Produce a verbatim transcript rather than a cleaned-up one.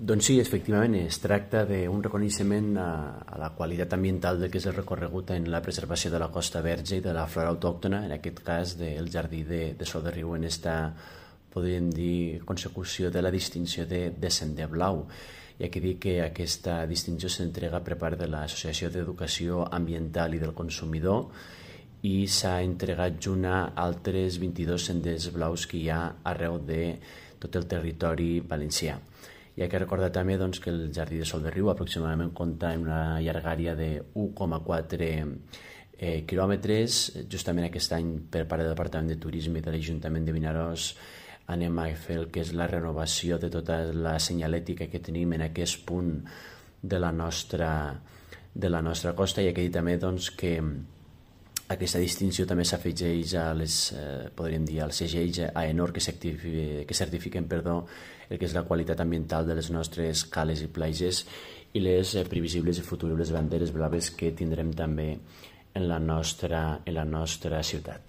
Doncs sí, efectivament, es tracta d'un reconeixement a, a la qualitat ambiental del que és el recorregut en la preservació de la Costa Verge i de la flora autòctona, en aquest cas del jardí de, de Sol de Riu, en esta, podríem dir, consecució de la distinció de, de Sender Blau. Hi ha que dir que aquesta distinció s'entrega per part de l'Associació d'Educació Ambiental i del Consumidor i s'ha entregat junt a altres vint-i-dos senders blaus que hi ha arreu de tot el territori valencià. Hi ha que recordar també doncs, que el Jardí de Sol de Riu aproximadament compta amb una llargària de u coma quatre eh, quilòmetres. Justament aquest any, per part del Departament de Turisme i de l'Ajuntament de Vinaròs, anem a fer el que és la renovació de tota la senyalètica que tenim en aquest punt de la nostra, de la nostra costa. I hi ha que dir també doncs, que aquesta distinció també s'afegeix a les, eh, podríem dir, als segells AENOR que certifiquen, que certifiquen perdó, el que és la qualitat ambiental de les nostres cales i platges i les eh, previsibles i futuribles banderes blaves que tindrem també en la nostra, en la nostra ciutat.